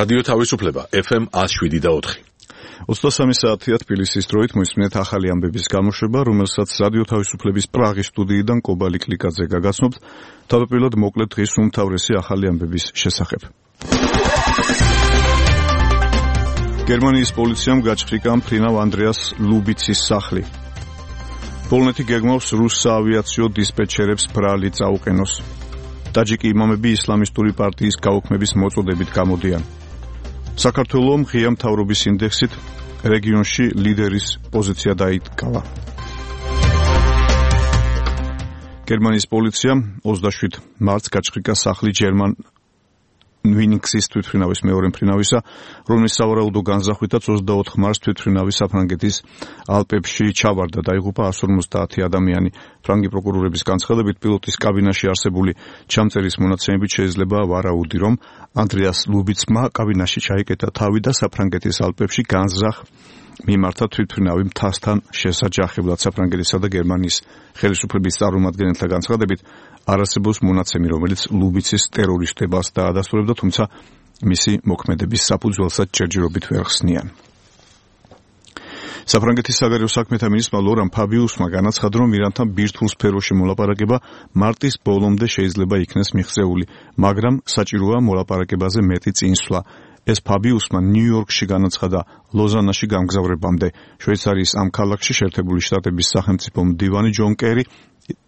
რადიო თავისუფლება FM 107.4. 23 საათია თბილისის დროით მოისმინეთ ახალი ამბების გამოშვება, რომელსაც რადიო თავისუფლების პრაღის სტუდიიდან კობალი კლიკაძე გაგაცნობთ. თავდაპირველად მოკლედ დღის უმთავრესი ახალი ამბების შესახებ. გერმანიის პოლიციამ გაჩხრიკა მფრინავ ანდრეას ლუბიცის სახლი. პოლონეთი გეგმავს რუს საავიაციო დისპეჩერებს ბრალი წაუყენოს. ტაჯიკი იმამები ისლამისტური პარტიის გაუქმების მოწოდებით გამოდიან. საქართველოს ღია მთავრობის ინდექსით რეგიონში ლიდერის პოზიცია დაიკავა. გერმანიის პოლიციამ 27 მარტს გაჩხრიკა სახლი ჯერმან ვინინგსის თვითმფრინავის მეორე მფრინავისა, რომლის სავარაუდო განზახვითაც 24 მარტს თვითმფრინავი საფრანგეთის ალპებში ჩავარდა, დაიღუპა 150 ადამიანი. ფრანგი პროკურორების განცხადებით, პილოტის კაბინაში არსებული ჩამწერის მონაცემებით შეიძლება ვარაუდი, რომ ანდრეას ლუბიცმა კაბინაში ჩაიკეტა თავი და საფრანგეთის ალპებში განზრახ მიმართა თვითმფრინავი მთასთან შესაჯახებლად. საფრანგეთისა და გერმანიის ხელისუფლების წარმომადგენელთა განცხადებით, არ არსებობს მონაცემი, რომელიც ლუბიცის ტერორისტებას დაადასტურებდა, თუმცა მისი მოქმედების საფუძველსაც ჯერჯერობით ვერ ხსნიან. საფრანგეთის საგარეო საქმეთა მინისტრმა ლორან ფაბიუსმა განაცხადა, რომ ირანთან ბირთვულ სფეროში მოლაპარაკება მარტის ბოლომდე შეიძლება იქნეს მიღწეული, მაგრამ საჭიროა მოლაპარაკებაზე მეტი წინსვლა. ეს ფაბიუსმა ნიუ-იორკში განაცხადა ლოზანაში გამგზავრებამდე. შვეიცარიის ამ ქალაქში შეერთებული შტატების სახელმწიფო მდივანი ჯონ კერი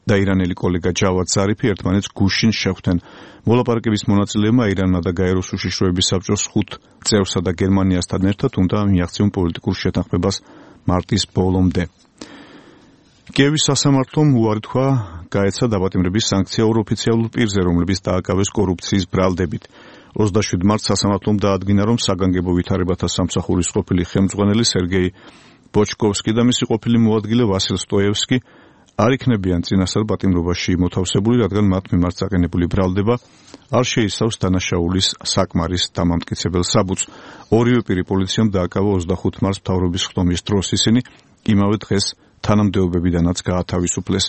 და ირანელი კოლეგა ჯავად ზარიფი ერთმანეთს გუშინ შეხვდნენ. მოლაპარაკების მონაწილეებმა ირანმა და გაეროს უშიშროების საბჭოს 5 წევრსა და გერმანიასთან ერთად უნდა მიაღწიონ პოლიტიკურ შეთანხმებას მარტის ბოლომდე. კიევის სასამართლომ უარი თქვა გაეცა დაპატიმრების სანქცია ორ ოფიციალურ პირზე, რომლებიც დააკავეს კორუფციის ბრალდებით. 27 მარტს სასამართლომ დაადგინა, რომ საგანგებო ვითარებათა სამსახურის ყოფილი ხელმძღვანელი სერგეი ბოჩკოვსკი და მისი ყოფილი მოადგილე ვასილ სტოევსკი არ იქნებიან წინასწარ პატიმრობაში მოთავსებული, რადგან მათ მიმართ საყენებული ბრალდება არ შეიცავს დანაშაულის საკმარის დამამტკიცებელ საბუთს. ორივე პირი პოლიციამ დააკავა 25 მარტს მთავრობის ხდომის დროს, ისინი იმავე დღეს თანამდებობებიდანაც გაათავისუფლეს.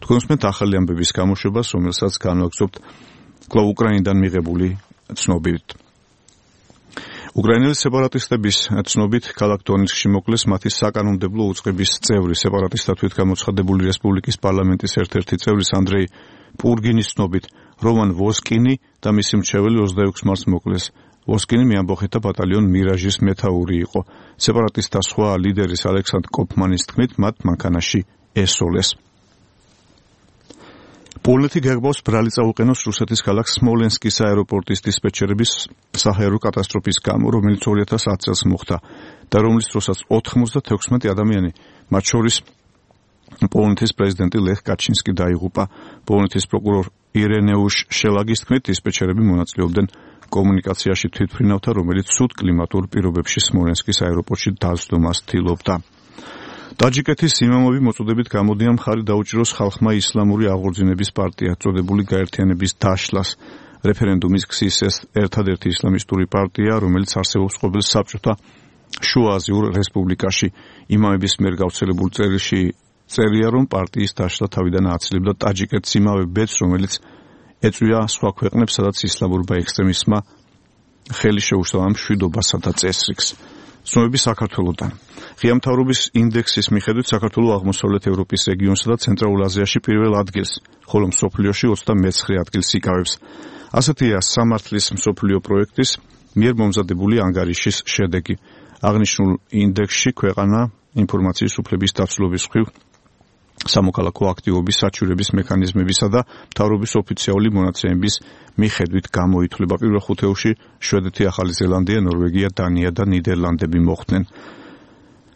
თქვენ უსმენთ ახალი ამბების გამოშვებას, რომელსაც განვაგრძობთ კვლავ უკრაინიდან მიღებული ცნობით. უკრაინელი სეპარატისტების ცნობით ქალაქ დონეცკში მოკლეს მათი საკანონმდებლო უწყების წევრი, სეპარატისტად გამოცხადებული რესპუბლიკის პარლამენტის ერთ-ერთი წევრის ანდრეი პურგინის ცნობით, რომან ვოსკინი და მისი მრჩეველი 26 მარტს მოკლეს. ვოსკინი მეამბოხეთა ბატალიონ მირაჟის მეთაური იყო. სეპარატისტთა სხვა ლიდერის ალექსანდრ კოფმანის თქმით, მათ მანქანაში ესოლეს. პოლონეთი გეგმავს ბრალი წაუყენოს რუსეთის ქალაქ სმოლენსკის აეროპორტის დისპეჩერების საჰაერო კატასტროფის გამო, რომელიც 2010 წელს მოხდა და რომლის დროსაც 96 ადამიანი, მათ შორის პოლონეთის პრეზიდენტი ლეხ კაჩინსკი დაიღუპა. პოლონეთის პროკურორ ირენეუშ შელაგის თქმით, დისპეჩერები მონაწილეობდნენ კომუნიკაციაში თვითმფრინავთა, რომელიც ცუდ კლიმატურ პირობებში სმოლენსკის აეროპორტში დასდომას ცდილობდა. ტაჯიკეთის იმამები მოწოდებით გამოდიან მხარი დაუჭიროს ხალხმა ისლამური აღორძინების პარტია წოდებული გაერთიანების დაშლას. რეფერენდუმის გზის ეს ერთადერთი ისლამისტური პარტია, რომელიც არსებობს ყოველ საბჭოთა შუა აზიურ რესპუბლიკაში. იმამების მიერ გავრცელებულ წერილში წერია, რომ პარტიის დაშლა თავიდან ააცილებდა ტაჯიკეთს იმავე ბედს, რომელიც ეწვია სხვა ქვეყნებს, სადაც ისლამურმა ექსტრემიზმმა ხელი შეუშალა მშვიდობასა და წესრიგს. ცნობები საქართველოდან. ღია მთავრობის ინდექსის მიხედვით საქართველოს აღმოსავლეთ ევროპის რეგიონსა და ცენტრალურ აზიაში პირველ ადგილს, ხოლო მსოფლიოში 29 ადგილს იკავებს. ასეთია სამართლის მსოფლიო პროექტის მიერ მომზადებული ანგარიშის შედეგი. აღნიშნულ ინდექსში ქვეყანა ინფორმაციის უფლების დაცლობის მხრივ სამოქალაქო აქტივობის საჩივრების მექანიზმებისა და მთავრობის ოფიციალური მონაცემების მიხედვით გამოითვლება. პირველ ხუთეულში შვედეთი, ახალი ზელანდია, ნორვეგია, დანია და ნიდერლანდები მოხვდნენ.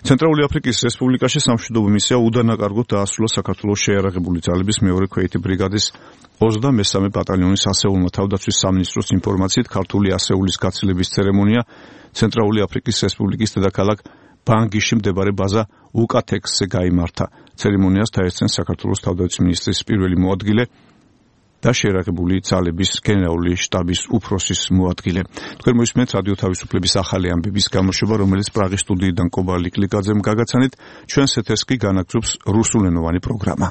ცენტრალური აფრიკის რესპუბლიკაში სამშვიდობო მისია უდანაკარგოდ დაასრულა საქართველოს შეიარაღებული ძალების მეორე ქვეითი ბრიგადის 23 ბატალიონის ასეულმა. თავდაცვის სამინისტროს ინფორმაციით, ქართული ასეულის გაცილების ცერემონია ცენტრალური აფრიკის რესპუბლიკის დედაქალაქ ბანგიში მდებარე ბაზა უკათექსზე გაიმართა. ცერემონიას დაესწრნენ საქართველოს თავდაცვის მინისტრის პირველი მოადგილე და შეიარაღებული ძალების გენერალური შტაბის უფროსის მოადგილე. თქვენ მოისმენთ რადიო თავისუფლების ახალი ამბების გამოშვება, რომელიც პრაღის სტუდიიდან კობალი კლიკაძემ გაგაცანით. ჩვენს ეთერს კი განაგრძობს რუსულენოვანი პროგრამა.